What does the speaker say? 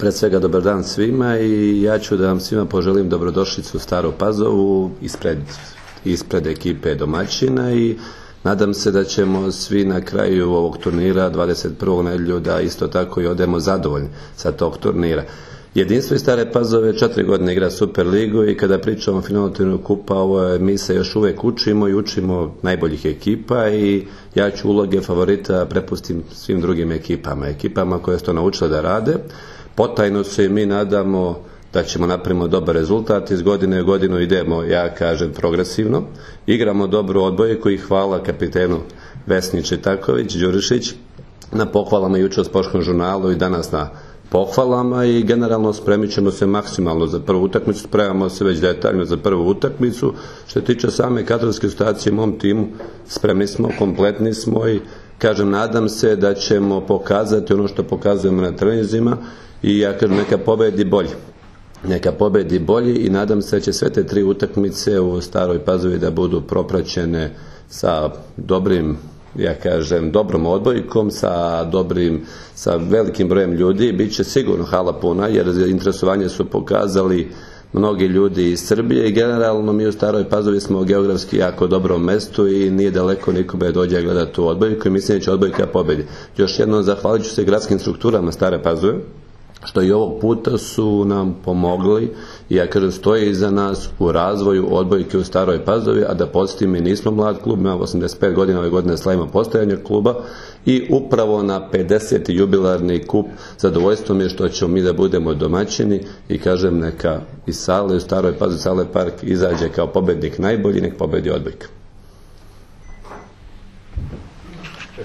Pred svega dobar dan svima i ja ću da vam svima poželim dobrodošlicu u Staru Pazovu ispred ekipe domaćina i nadam se da ćemo svi na kraju ovog turnira 21. nedjelju da isto tako i odemo zadovoljni sa tog turnira. Jedinstvo iz Stare Pazove 4 godine igra Super ligu i kada pričamo o finalu turnira kupa, mi se još uvek učimo i učimo najboljih ekipa i ja ću uloge favorita prepustim svim drugim ekipama koje su to naučile da rade. Potajno se i mi nadamo da ćemo napraviti dobar rezultat, iz godine u godinu idemo, ja kažem, progresivno, igramo dobru odbojku i hvala kapitenu Vesni Čitaković, Đurišić, na pohvalama jučer u Sportskom žurnalu i danas na pohvalama i generalno spremit ćemo se maksimalno za prvu utakmicu, spremamo se već detaljno za prvu utakmicu. Što se tiče same kadrovske situacije u mom timu, spremni smo, kompletni smo i kažem, nadam se da ćemo pokazati ono što pokazujemo na treninzima i ja kažem, neka pobedi bolji i nadam se da će sve te 3 utakmice u Staroj Pazovi da budu propraćene sa dobrom odbojkom, sa velikim brojem ljudi. Biće sigurno hala puna jer interesovanje su pokazali mnogi ljudi iz Srbije i generalno mi u Staroj Pazovi smo geografski jako dobrom mestu i nije daleko nikome dođe gledati tu odbojku i mislim da će odbojka pobedi. Još jednom zahvalit ću se gradskim strukturama Stare Pazove što i ovog puta su nam pomogli i ja kažem stoje iza nas u razvoju odbojke u Staroj Pazovi, a da podsjetim, mi nismo mlad klub, imamo 85 godina, ove godine slavimo postojanje kluba i upravo na 50. jubilarni kup zadovoljstvo mi je što ćemo mi da budemo domaćini i kažem neka iz sale u Staroj Pazovi, Sale Park izađe kao pobednik najbolji, nek pobedi odbojka.